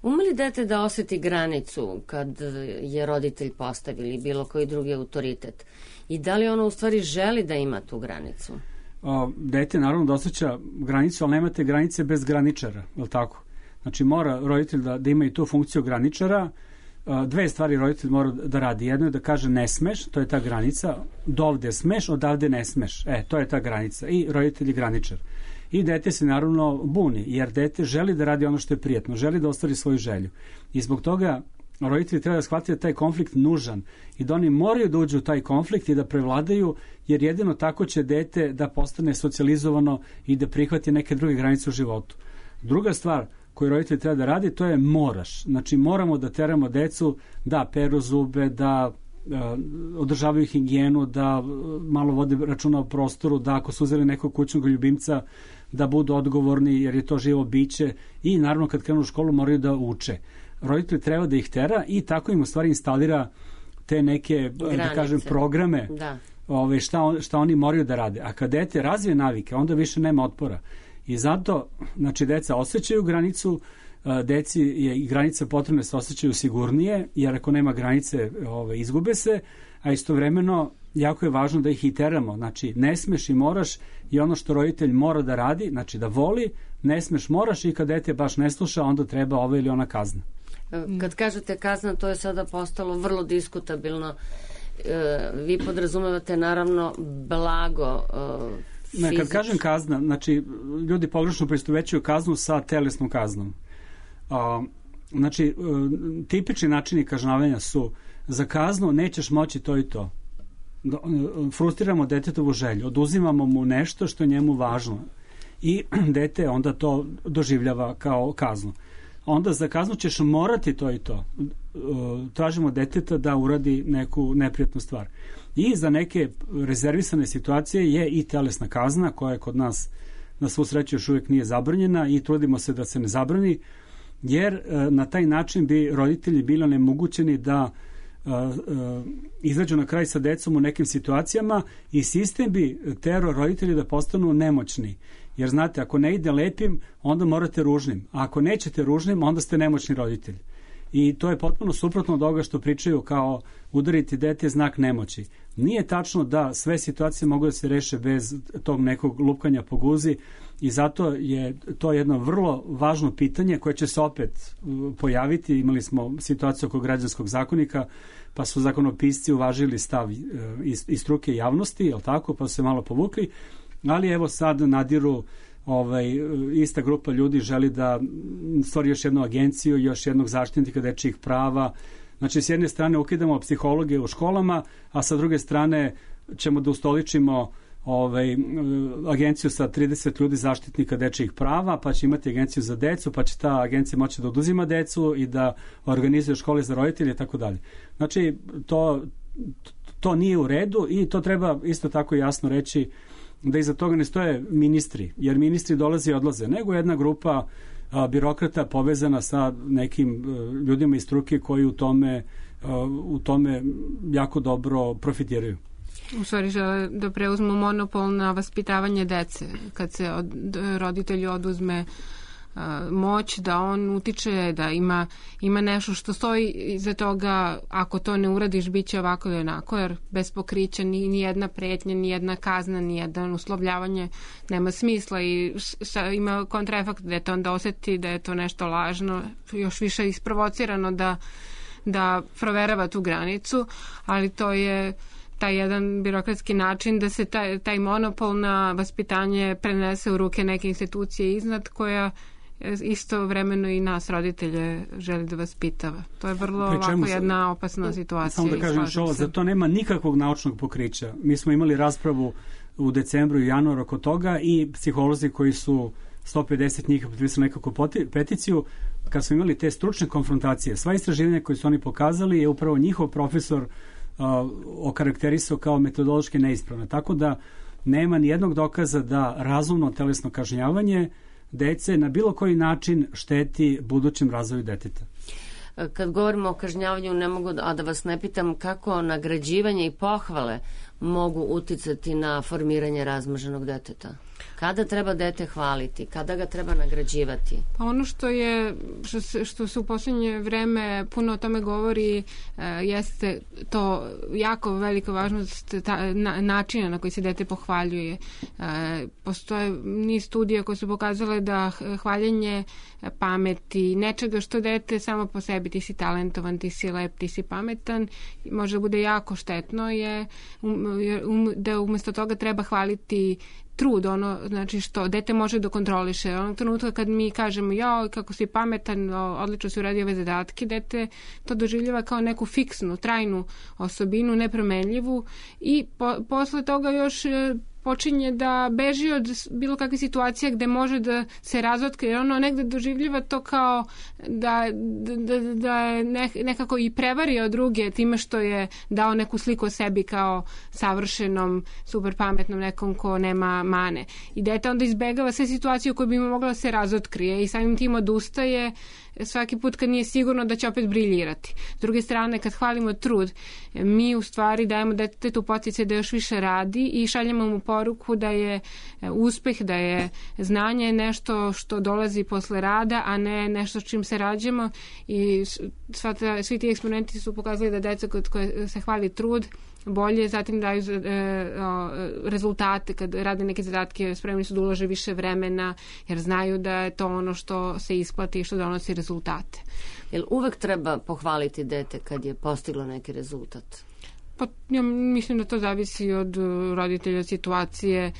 Ume li dete da osjeti granicu kad je roditelj postavio ili bilo koji drugi autoritet? I da li ono u stvari želi da ima tu granicu? Dete naravno da osjeća granicu, ali nemate granice bez graničara, je li tako? Znači mora roditelj da ima i tu funkciju graničara. Dve stvari roditelj mora da radi. Jedno je da kaže ne smeš, to je ta granica, dovde smeš, odavde ne smeš. To je ta granica. I roditelj je graničar. I dete se naravno buni, jer dete želi da radi ono što je prijatno, želi da ostvari svoju želju. I zbog toga roditelji treba da shvatiti da taj konflikt nužan i da oni moraju da uđu u taj konflikt i da prevladaju, jer jedino tako će dete da postane socijalizovano i da prihvati neke druge granice u životu. Druga stvar koju roditelj treba da radi, to je moraš. Znači moramo da teramo decu da peru zube, da održavaju higijenu, da malo vode računa o prostoru, da ako su uzeli nekog kućnog ljubimca, da budu odgovorni jer je to živo biće i naravno kad krenu u školu moraju da uče. Roditelj treba da ih tera i tako im u stvari instalira te neke, da kažem, programe šta oni moraju da rade. A kad dete razvije navike, onda više nema otpora. I zato, znači, deca osjećaju granicu, deci je i granica potrebna da se osjećaju sigurnije, jer ako nema granice izgube se, a istovremeno jako je važno da ih i teramo. Znači, ne smeš i moraš i ono što roditelj mora da radi, znači da voli, ne smeš, moraš i kad dete baš ne sluša, onda treba ova ili ona kazna. Kad kažete kazna, to je sada postalo vrlo diskutabilno. Vi podrazumevate naravno blago fizički. Kad kažem kazna, znači ljudi pogrešno poistovećuju kaznu sa telesnom kaznom. Znači, tipični načini kažnjavanja su za kaznu nećeš moći to i to. Frustriramo detetovu želju, oduzimamo mu nešto što je njemu važno i dete onda to doživljava kao kaznu. Onda za kaznu ćeš morati to i to. Tražimo deteta da uradi neku neprijatnu stvar. I za neke rezervisane situacije je i telesna kazna koja je kod nas na svu sreću još uvijek nije zabranjena i trudimo se da se ne zabrani, jer na taj način bi roditelji bili onemogućeni da izađu na kraj sa decom u nekim situacijama i sistem bi terao roditelji da postanu nemoćni. Jer znate, ako ne ide lepim, onda morate ružnim. A ako nećete ružnim, onda ste nemoćni roditelj. I to je potpuno suprotno od toga što pričaju kao udariti dete znak nemoći. Nije tačno da sve situacije mogu da se reše bez tog nekog lupkanja po guzi i zato je to jedno vrlo važno pitanje koje će se opet pojaviti. Imali smo situaciju oko građanskog zakonika, pa su zakonopisci uvažili stav iz struke javnosti, jel tako, pa su se malo povukli, ali evo sad nadiru ista grupa ljudi želi da stvori još jednu agenciju, još jednog zaštitnika dečijih prava. Znači, s jedne strane ukidamo psihologe u školama, a sa druge strane ćemo da ustoličimo agenciju sa 30 ljudi zaštitnika dečijih prava, pa će imati agenciju za decu, pa će ta agencija moći da oduzima decu i da organizuje škole za roditelje i tako dalje. Znači, to nije u redu i to treba isto tako jasno reći da iza toga ne stoje ministri, jer ministri dolaze i odlaze, nego jedna grupa birokrata povezana sa nekim ljudima iz struke koji u tome jako dobro profitiraju. U stvari žele da preuzmu monopol na vaspitavanje dece. Kad se roditelju oduzme moć da on utiče, da ima nešto što stoji iza toga, ako to ne uradiš bit će ovako i onako, jer bez pokrića ni jedna pretnja, ni jedna kazna, ni jedan uslovljavanje nema smisla i ima kontraefekt da je to onda osjeti da je to nešto lažno, još više isprovocirano da proverava tu granicu, ali to je taj jedan birokratski način da se taj monopol na vaspitanje prenese u ruke neke institucije iznad koja istovremeno i nas roditelje želi da vaspitava. To je vrlo ovako jedna opasna situacija. Samo da kažem što, za to nema nikakvog naučnog pokrića. Mi smo imali raspravu u decembru i januaru oko toga i psiholozi koji su 150 njih potpisali nekakvu peticiju, kad smo imali te stručne konfrontacije, sva istraživanja koje su oni pokazali je upravo njihov profesor okarakterisao kao metodološki neispravne. Tako da nema ni jednog dokaza da razumno telesno kažnjavanje dece na bilo koji način šteti budućem razvoju deteta. Kad govorimo o kažnjavanju, ne mogu da vas ne pitam kako nagrađivanje i pohvale mogu uticati na formiranje razmaženog deteta. Kada treba dete hvaliti? Kada ga treba nagrađivati? Pa ono što se u posljednje vreme puno o tome govori jeste to jako velika važnost načina na koji se dete pohvaljuje. Postoje niz studija koje su pokazale da hvaljenje pameti, nečega što dete samo po sebi, ti si talentovan, ti si lep, ti si pametan, može da bude jako štetno, je da umjesto toga treba hvaliti trud, znači što dete može da kontroliše. Onog trenutka kad mi kažemo jao, kako si pametan, odlično si uradio ove zadatke, dete to doživljava kao neku fiksnu, trajnu osobinu, nepromenljivu i posle toga još počinje da beži od bilo kakve situacije gde može da se razotkrije. Ono negde doživljava to kao da je nekako i prevario druge time što je dao neku sliku o sebi kao savršenom, super pametnom nekom ko nema mane. I dete onda izbegava sve situacije u kojoj bi mu mogla da se razotkrije i samim tim odustaje svaki put kad nije sigurno da će opet briljirati. S druge strane, kad hvalimo trud, mi u stvari dajemo detetu podsticaj da još više radi i šaljemo mu poruku da je uspeh, da je znanje nešto što dolazi posle rada, a ne nešto s čim se rađamo. I svi ti eksperimenti su pokazali da deca kod koje se hvali trud bolje, zatim daju rezultate kad rade neke zadatke, spremni su da ulože više vremena jer znaju da je to ono što se isplati i što donosi rezultate. Jel uvek treba pohvaliti dete kad je postiglo neki rezultat? Pa ja mislim da to zavisi od roditelja, situacije.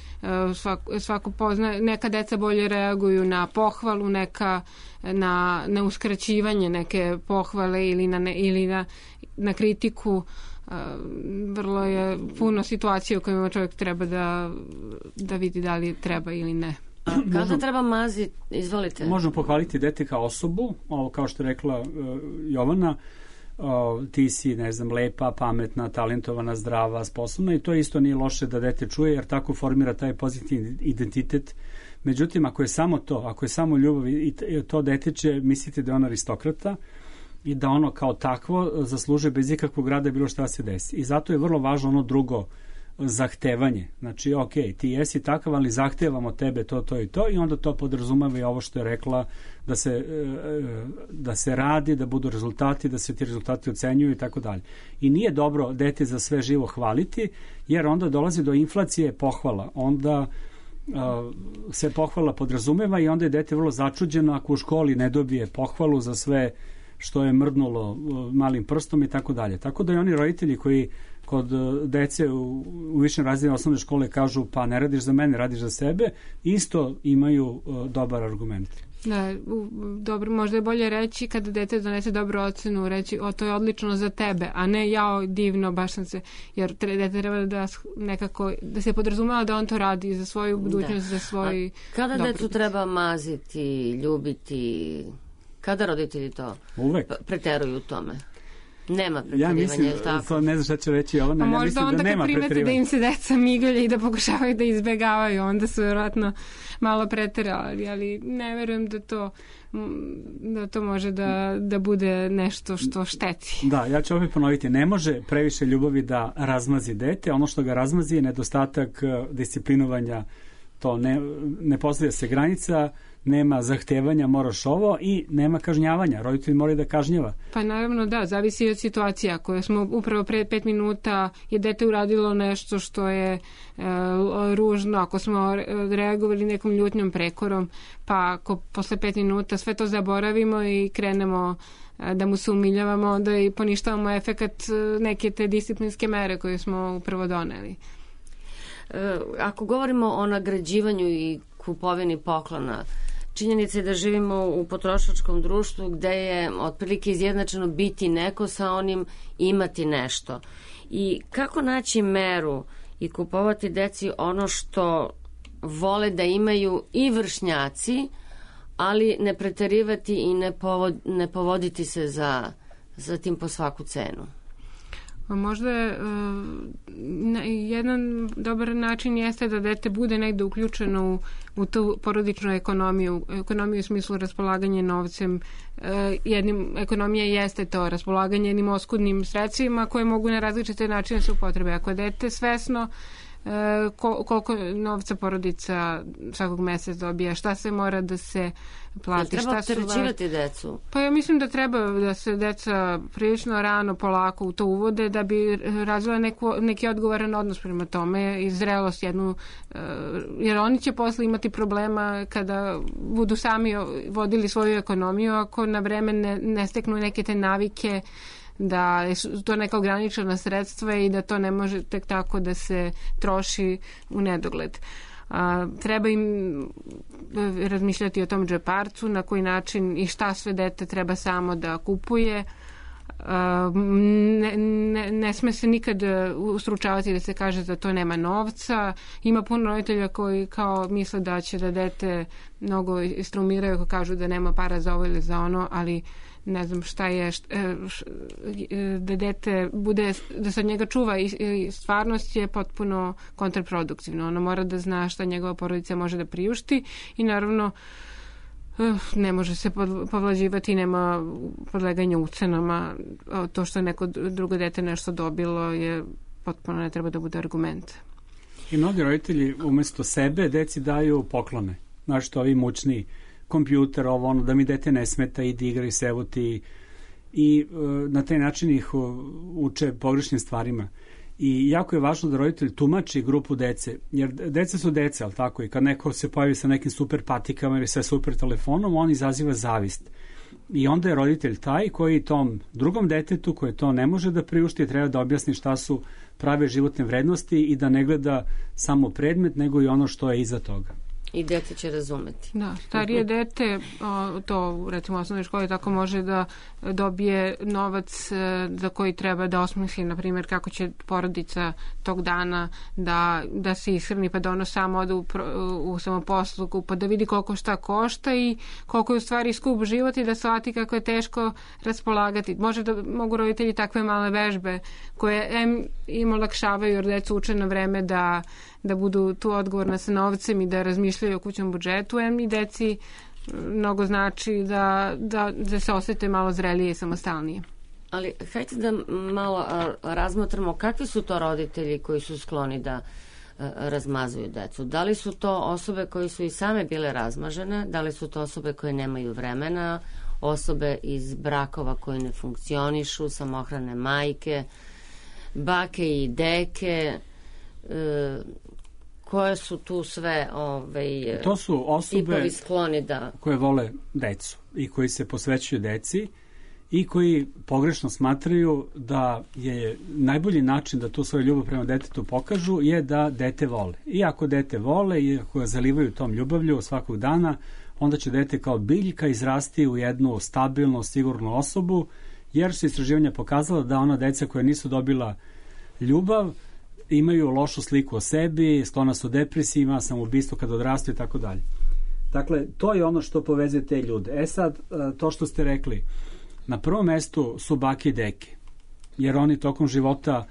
Svako pozna, neka deca bolje reaguju na pohvalu, neka na uskraćivanje neke pohvale ili na kritiku. Vrlo je puno situacija u kojima čovjek treba da vidi da li treba ili ne. Kada treba maziti? Izvolite. Možemo pohvaliti dete kao osobu, kao što je rekla Jovana, ti si, ne znam, lepa, pametna, talentovana, zdrava, sposobna i to isto nije loše da dete čuje jer tako formira taj pozitivni identitet. Međutim, ako je samo to, ako je samo ljubav i to dete će misliti da je on aristokrata i da ono kao takvo zaslužuje bez ikakvog rada bilo šta se desi. I zato je vrlo važno ono drugo zahtevanje. Znači, ok, ti jesi takav, ali zahtevamo tebe to i to i onda to podrazumeva i ovo što je rekla da se radi, da budu rezultati, da se ti rezultati ocenjuju i tako dalje. I nije dobro dete za sve živo hvaliti, jer onda dolazi do inflacije pohvala. Onda se pohvala podrazumeva i onda je dete vrlo začuđeno ako u školi ne dobije pohvalu za sve što je mrdnulo malim prstom i tako dalje. Tako da i oni roditelji koji kod dece u višim razredima osnovne škole kažu pa ne radiš za mene, radiš za sebe, isto imaju dobar argument. Da, dobro, možda je bolje reći kada dete donese dobru ocenu, reći to je odlično za tebe, a ne jao divno, baš sam se, jer dete treba da nekako, da se podrazumeva da on to radi za svoju budućnost, za svoj kada decu treba maziti, ljubiti, kada roditelji to preteruju u tome? Nema preterivanja, ja mislim, to ne znam šta će reći ovo, ja možda mislim onda da nema kad primete da im se deca migalje i da pokušavaju da izbegavaju, onda su vjerojatno malo preterali, ali ne verujem da to može da bude nešto što šteti. Da, ja ću opet ponoviti, ne može previše ljubavi da razmazi dete, ono što ga razmazi je nedostatak disciplinovanja, to ne postavlja se granica, nema zahtevanja, moraš ovo i nema kažnjavanja. Roditelj mora da kažnjava. Pa naravno da, zavisi od situacija koje smo upravo pre 5 minuta je dete uradilo nešto što je ružno, ako smo reagovali nekom ljutnjom, prekorom, pa ako posle 5 minuta sve to zaboravimo i krenemo da mu se umiljavamo, onda i poništavamo efekat neke te disciplinske mere koje smo upravo doneli. Ako govorimo o nagrađivanju i kupovini poklona, činjenica je da živimo u potrošačkom društvu gde je otprilike izjednačeno biti neko sa onim imati nešto. I kako naći meru i kupovati deci ono što vole da imaju i vršnjaci, ali ne preterivati i ne povoditi se za tim po svaku cenu? Možda jedan dobar način jeste da dete bude negde uključeno u tu porodičnu ekonomiju u smislu raspolaganja novcem. Ekonomija jeste to, raspolaganje jednim oskudnim sredstvima koje mogu na različite načine se upotrebe. Ako je dete svesno koliko novca porodica svakog meseca dobija, šta se mora da se plati. Treba opterećivati decu? Pa ja mislim da treba da se deca prilično rano, polako u to uvode da bi razvila neki odgovoran odnos prema tome i zrelost jednu, jer oni će posle imati problema kada budu sami vodili svoju ekonomiju ako na vreme ne steknu neke te navike da je to neka ograničena sredstva i da to ne može tek tako da se troši u nedogled. Treba im razmišljati o tom džeparcu, na koji način i šta sve dete treba samo da kupuje. ne sme se nikad ustručavati da se kaže da to nema novca. Ima puno roditelja koji kao misle da će da dete mnogo istrumiraju ako kažu da nema para za ovo ili za ono, ali ne znam šta je da dete bude, da se od njega čuva i stvarnost je potpuno kontraproduktivno. Ono mora da zna šta njegova porodica može da priušti i naravno ne može se povlađivati, nema podleganja ucenama. To što je neko drugo dete nešto dobilo je potpuno ne treba da bude argument. I mnogi roditelji umesto sebe deci daju poklone. Znaš što, ovi mučni kompjuter, ovo ono, da mi dete ne smeta, idi igraj se, evo ti. I na taj način ih uče pogrešnim stvarima. I jako je važno da roditelj tumači grupu dece, jer deca su deca, ali tako, i kad neko se pojavi sa nekim super patikama ili sa super telefonom, on izaziva zavist. I onda je roditelj taj koji tom drugom detetu, koje to ne može da priušti, treba da objasni šta su prave životne vrednosti i da ne gleda samo predmet, nego i ono što je iza toga. I dete će razumeti. Da, starije dete, to recimo u osnovnoj školi tako može da dobije novac za koji treba da osmisli, na primjer, kako će porodica tog dana da se ishrani, pa da ono samo ode u samoposlugu, pa da vidi koliko šta košta i koliko je u stvari skup život i da shvati kako je teško raspolagati. Mogu roditelji takve male vežbe koje im olakšavaju jer deca uče na vreme da budu tu odgovorna sa novcem i da razmišljaju o kućnom budžetu, i deci mnogo znači da se osete malo zrelije i samostalnije. Ali hajde da malo razmotramo kakvi su to roditelji koji su skloni da razmazuju decu. Da li su to osobe koje su i same bile razmažene, da li su to osobe koje nemaju vremena, osobe iz brakova koji ne funkcionišu, samohrane majke, bake i deke, koje su tu sve to su osobe skloni koje vole decu i koji se posvećuju deci i koji pogrešno smatraju da je najbolji način da tu svoju ljubav prema detetu pokažu je da dete vole. I ako dete vole i ako ga zalivaju tom ljubavlju svakog dana, onda će dete kao biljka izrasti u jednu stabilnu, sigurnu osobu, jer su istraživanja pokazala da ona deca koja nisu dobila ljubav imaju lošu sliku o sebi, sklona su depresijima, samoubistvo kad odrastu i tako dalje. Dakle, to je ono što povezuje te ljude. Sad, to što ste rekli, na prvom mestu su bake i deke, jer oni tokom života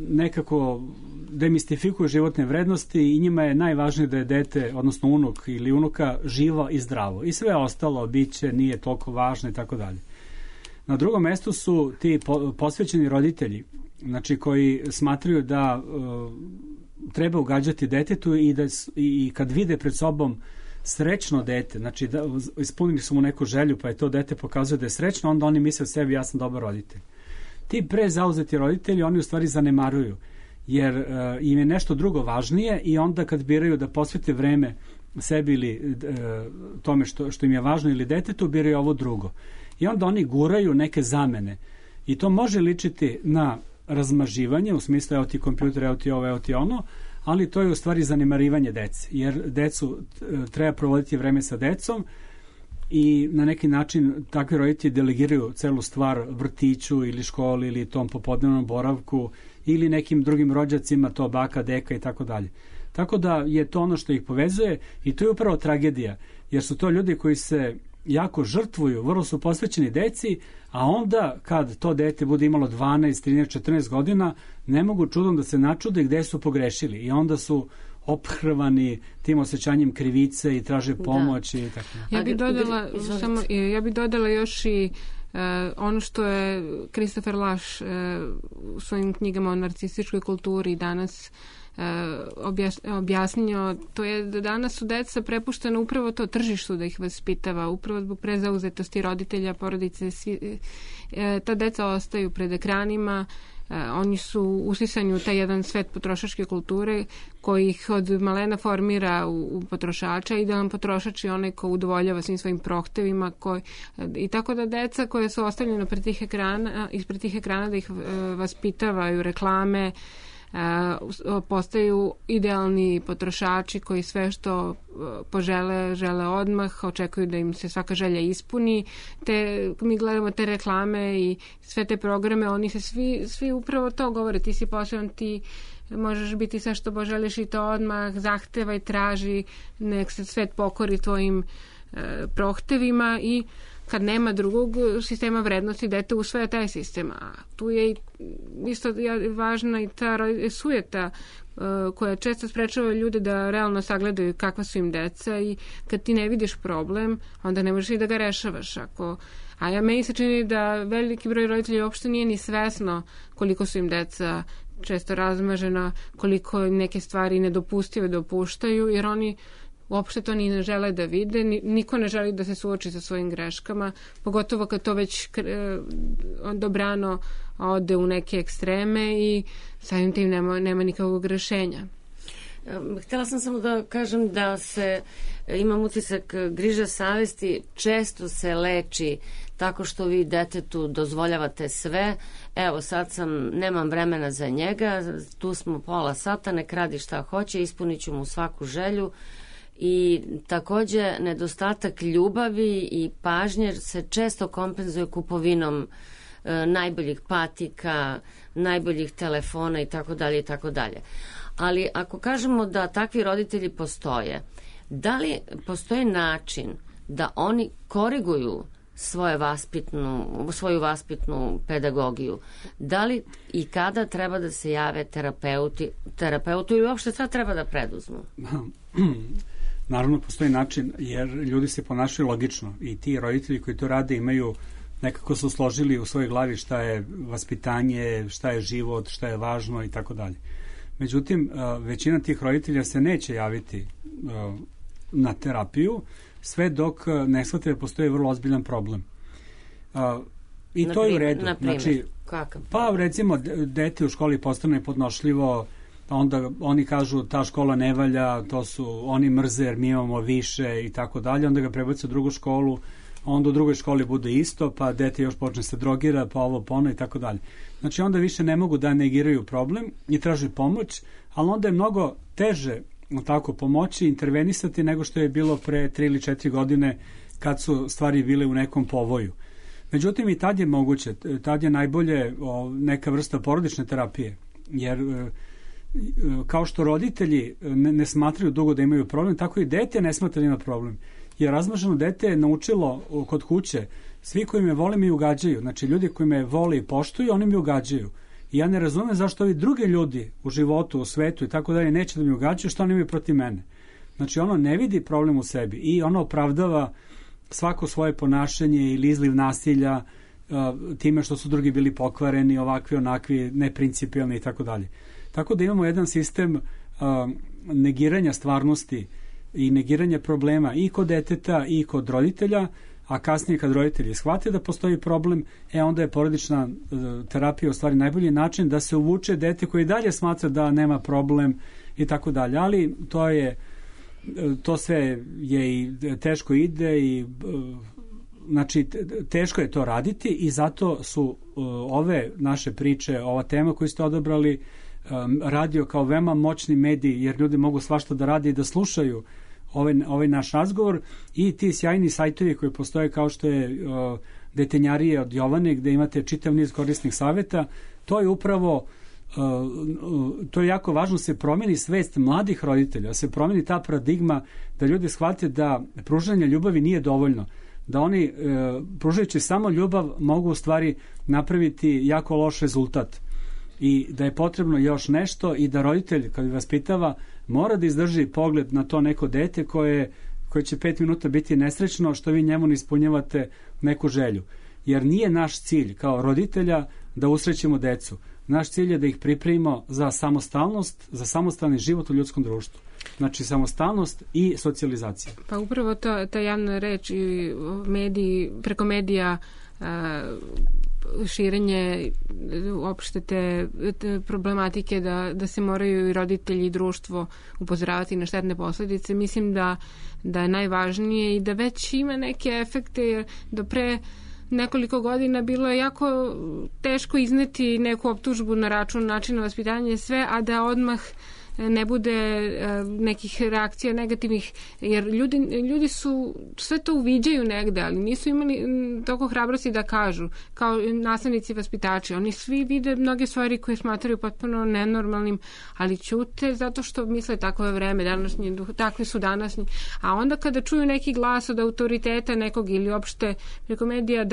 nekako demistifikuju životne vrednosti i njima je najvažnije da je dete, odnosno unuk ili unuka, živo i zdravo. I sve ostalo biće nije toliko važno i tako dalje. Na drugom mestu su ti posvećeni roditelji, znači koji smatraju da treba ugađati detetu i kad vide pred sobom srećno dete, znači da ispunili su mu neku želju pa je to dete pokazuje da je srećno, onda oni misle o sebi ja sam dobar roditelj. Ti prezauzeti roditelji oni u stvari zanemaruju, jer im je nešto drugo važnije i onda kad biraju da posvete vreme sebi ili tome što im je važno ili detetu, biraju ovo drugo. I onda oni guraju neke zamene i to može ličiti na razmaživanje, u smislu evo ti kompjuter, evo ti ovo, evo ti ono, ali to je u stvari zanemarivanje dece, jer decu treba provoditi vreme sa decom i na neki način takvi roditelji delegiraju celu stvar vrtiću ili školi ili tom popodnevnom boravku ili nekim drugim rođacima, to baka, deka i tako dalje. Tako da je to ono što ih povezuje i to je upravo tragedija, jer su to ljudi koji se jako žrtvuju, vrlo su posvećeni deci, a onda kad to dete bude imalo 12, 13, 14 godina, ne mogu čudom da se načude gde su pogrešili i onda su ophrvani tim osjećanjem krivice i traže pomoć i tako. Ja bih dodala još i ono što je Christopher Lasch u svojim knjigama o narcističkoj kulturi danas objasnio, to je da danas su deca prepuštena upravo to tržištu da ih vaspitava, upravo zbog prezauzetosti roditelja, porodice, ta deca ostaju pred ekranima, oni su usisani u taj jedan svet potrošačke kulture koji ih od malena formira u potrošača. Idealan potrošač je onaj ko udovoljava svim svojim prohtevima i tako da deca koja su ostavljena ispred tih ekrana da ih vaspitavaju reklame, postaju idealni potrošači koji sve što požele, žele odmah, očekuju da im se svaka želja ispuni. Mi gledamo te reklame i sve te programe, oni se svi upravo to govore, ti si poseban, ti možeš biti sve što poželiš i to odmah, zahtevaj, traži, nek se svet pokori tvojim prohtevima i kad nema drugog sistema vrednosti, dete usvaja taj sistem. A tu je isto važna i ta sujeta koja često sprečava ljude da realno sagledaju kakva su im deca i kad ti ne vidiš problem, onda ne možeš i da ga rešavaš. Meni se čini da veliki broj roditelja uopšte nije ni svesno koliko su im deca često razmažena, koliko neke stvari nedopustive dopuštaju, jer oni uopšte to ni ne žele da vide, niko ne želi da se suoči sa svojim greškama, pogotovo kad to već dobrano ode u neke ekstreme i samim tim nema nikakvog rešenja. Htjela sam samo da kažem da imam utisak griža savesti često se leči tako što vi detetu dozvoljavate sve. Evo sad nemam vremena za njega, tu smo pola sata, nek radi šta hoće, ispunit ću mu svaku želju. I takođe nedostatak ljubavi i pažnje se često kompenzuje kupovinom najboljih patika, najboljih telefona i tako dalje. Ali ako kažemo da takvi roditelji postoje, da li postoji način da oni koriguju svoju vaspitnu pedagogiju? Da li i kada treba da se jave terapeutu ili uopšte šta treba da preduzmu? Naravno, postoji način, jer ljudi se ponašaju logično i ti roditelji koji to rade imaju, nekako su složili u svojoj glavi šta je vaspitanje, šta je život, šta je važno i tako dalje. Međutim, većina tih roditelja se neće javiti na terapiju sve dok ne shvate da postoji vrlo ozbiljan problem. I to je u redu. Znači, kakav? Pa recimo, dete u školi postane podnošljivo, onda oni kažu ta škola ne valja, oni mrze jer mi imamo više i tako dalje, onda ga prebace u drugu školu, onda u drugoj školi bude isto, pa dete još počne se drogira, pa ovo, pa ono i tako dalje. Znači onda više ne mogu da negiraju problem i traži pomoć, ali onda je mnogo teže tako pomoći, intervenisati nego što je bilo pre 3 ili 4 godine kad su stvari bile u nekom povoju. Međutim i tad je moguće, tad je najbolje neka vrsta porodične terapije, jer kao što roditelji ne smatraju dugo da imaju problem, tako i dete ne smatra da ima problem. Jer razmaženo dete je naučilo kod kuće, svi koji me vole mi ugađaju, znači ljudi koji me vole i poštuju, oni mi ugađaju. I ja ne razumem zašto ovi drugi ljudi u životu, u svetu i tako dalje neće da mi ugađaju, što oni imaju protiv mene. Znači ono ne vidi problem u sebi i ono opravdava svako svoje ponašanje ili izliv nasilja time što su drugi bili pokvareni, ovakvi, onakvi, neprincipijalni i tako dalje. Tako da imamo jedan sistem negiranja stvarnosti i negiranja problema i kod deteta i kod roditelja, a kasnije kad roditelji shvate da postoji problem, onda je porodična terapija u stvari najbolji način da se uvuče dete koji dalje smatra da nema problem i tako dalje. Ali to sve je i teško ide i znači teško je to raditi i zato su ove naše priče, ova tema koju ste odabrali, radio kao veoma moćni medij, jer ljudi mogu svašta da rade i da slušaju ovaj naš razgovor i ti sjajni sajtovi koji postoje kao što je Detenjarije od Jovane, gde imate čitav niz korisnih saveta. To je upravo to je jako važno, se promeni svest mladih roditelja, se promeni ta paradigma da ljudi shvate da pružanje ljubavi nije dovoljno, da oni pružajući samo ljubav mogu u stvari napraviti jako loš rezultat i da je potrebno još nešto i da roditelj kad vaspitava mora da izdrži pogled na to neko dete koje će 5 minuta biti nesrećno što vi njemu ne ispunjavate neku želju. Jer nije naš cilj kao roditelja da usrećimo decu. Naš cilj je da ih pripremimo za samostalnost, za samostalni život u ljudskom društvu. Znači samostalnost i socijalizacija. Pa upravo ta javna reč i mediji, preko medija širenje uopšte te problematike da se moraju i roditelji i društvo upozoravati na štetne posledice. Mislim da je najvažnije i da već ima neke efekte, jer do pre nekoliko godina bilo je jako teško izneti neku optužbu na račun načina vaspitanja i sve, a da odmah ne bude nekih reakcija negativnih, jer ljudi su sve to uviđaju negde, ali nisu imali toliko hrabrosti da kažu, kao nastavnici vaspitači. Oni svi vide mnoge stvari koje smatraju potpuno nenormalnim, ali ćute zato što misle takvo je vreme današnje, takvi su današnji. A onda kada čuju neki glas od autoriteta nekog ili opšte preko medija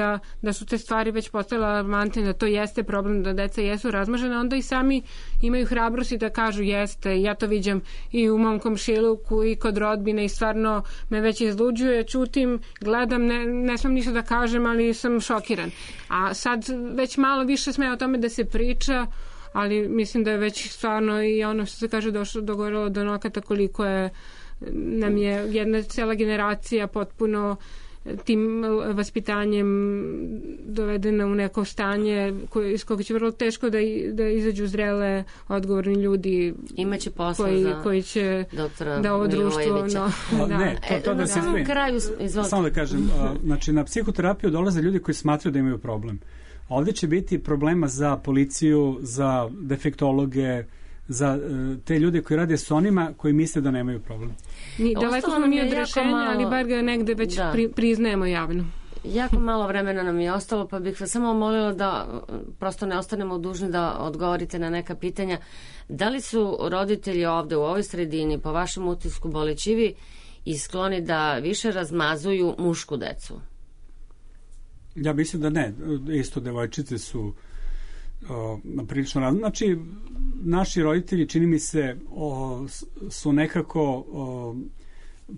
da su te stvari već postale alarmantne, da to jeste problem, da deca jesu razmažena, onda i sami imaju hrabrosti da kažu jeste. Ja to viđam i u mom komšiluku i kod rodbine i stvarno me već izluđuje, čutim, gledam, ne smem ništa da kažem, ali sam šokiran. A sad već malo više sme o tome da se priča, ali mislim da je već stvarno i ono što se kaže dogorelo do nokata koliko nam je jedna cela generacija potpuno tim vaspitanjem dovedena u neko stanje iz koga će vrlo teško da izađu zrele, odgovorni ljudi. Imaće posao koji će da ovo društvo... To da se samo da kažem, znači na psihoterapiju dolaze ljudi koji smatraju da imaju problem. Ovdje će biti problema za policiju, za defektologe, za te ljude koji rade s onima koji misle da nemaju problem. Daleko smo mi od rešenja, ali bar ga negde već priznajemo javno. Jako malo vremena nam je ostalo, pa bih vas samo molila da prosto ne ostanemo dužni da odgovorite na neka pitanja. Da li su roditelji ovde u ovoj sredini, po vašem utisku, bolećivi i skloni da više razmazuju mušku decu? Ja mislim da ne. Isto devojčice su prilično razne. Znači, naši roditelji, čini mi se, su nekako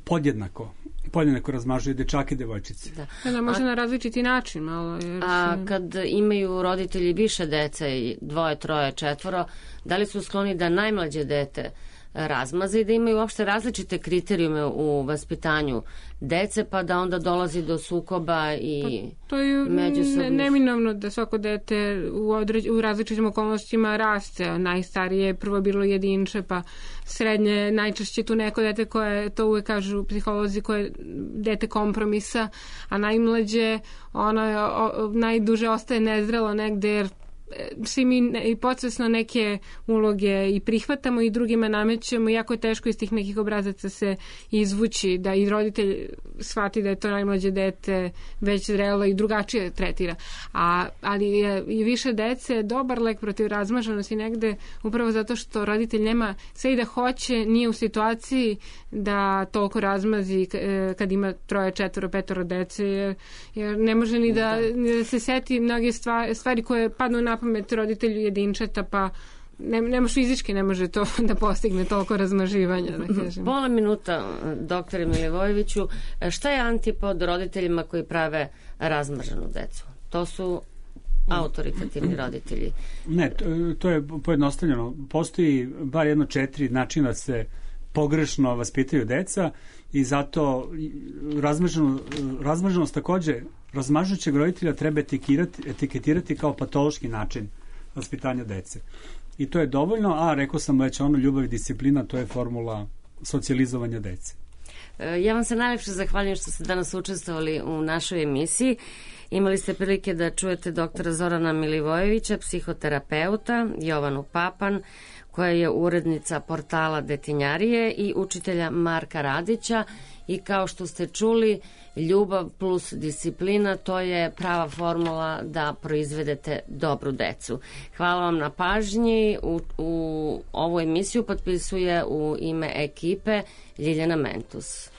podjednako razmažuju dečake i devojčice. Da, može na različiti način malo. A kad imaju roditelji više dece, 2, 3, 4, da li su skloni da najmlađe dete razmaze i da imaju uopšte različite kriterijume u vaspitanju dece, pa da onda dolazi do sukoba i to je neminovno da svako dete u različitim okolnostima raste. Najstarije je prvo bilo jedinče, pa srednje najčešće tu neko dete koje, to uvek kažu psiholozi, koje je dete kompromisa, a najmlađe najduže ostaje nezrelo negde, jer svi mi i podsvesno neke uloge i prihvatamo i drugima namećemo, jako je teško iz tih nekih obrazaca se izvući, da i roditelj shvati da je to najmlađe dete već zrelo i drugačije tretira. Ali je i više dece dobar lek protiv razmaženosti negde, upravo zato što roditelj nema sve i da hoće, nije u situaciji da toliko razmazi kad ima 3, 4, 5 dece, jer ne može ni da se seti mnoge stvari koje padnu na pamet roditelju jedinčeta, pa ne može fizički, ne može to da postigne toliko razmaživanja. Da kažem. Pola minuta, doktore Milivojeviću. Šta je antipod roditeljima koji prave razmrženu decu? To su autoritativni roditelji. Ne, to je pojednostavljeno. Postoji bar 4 načina da se pogrešno vaspitaju deca i zato razmrženost takođe razmažućeg roditelja treba etiketirati kao patološki način vaspitanja dece. I to je dovoljno, a rekao sam već ljubav i disciplina, to je formula socijalizovanja dece. Ja vam se najlepše zahvaljujem što ste danas učestvovali u našoj emisiji. Imali ste prilike da čujete doktora Zorana Milivojevića, psihoterapeuta, Jovanu Papan, koja je urednica portala Detinjarije, i učitelja Marka Radića. I kao što ste čuli, ljubav plus disciplina, to je prava formula da proizvedete dobru decu. Hvala vam na pažnji. U ovu emisiju potpisuje u ime ekipe Ljiljana Mentus.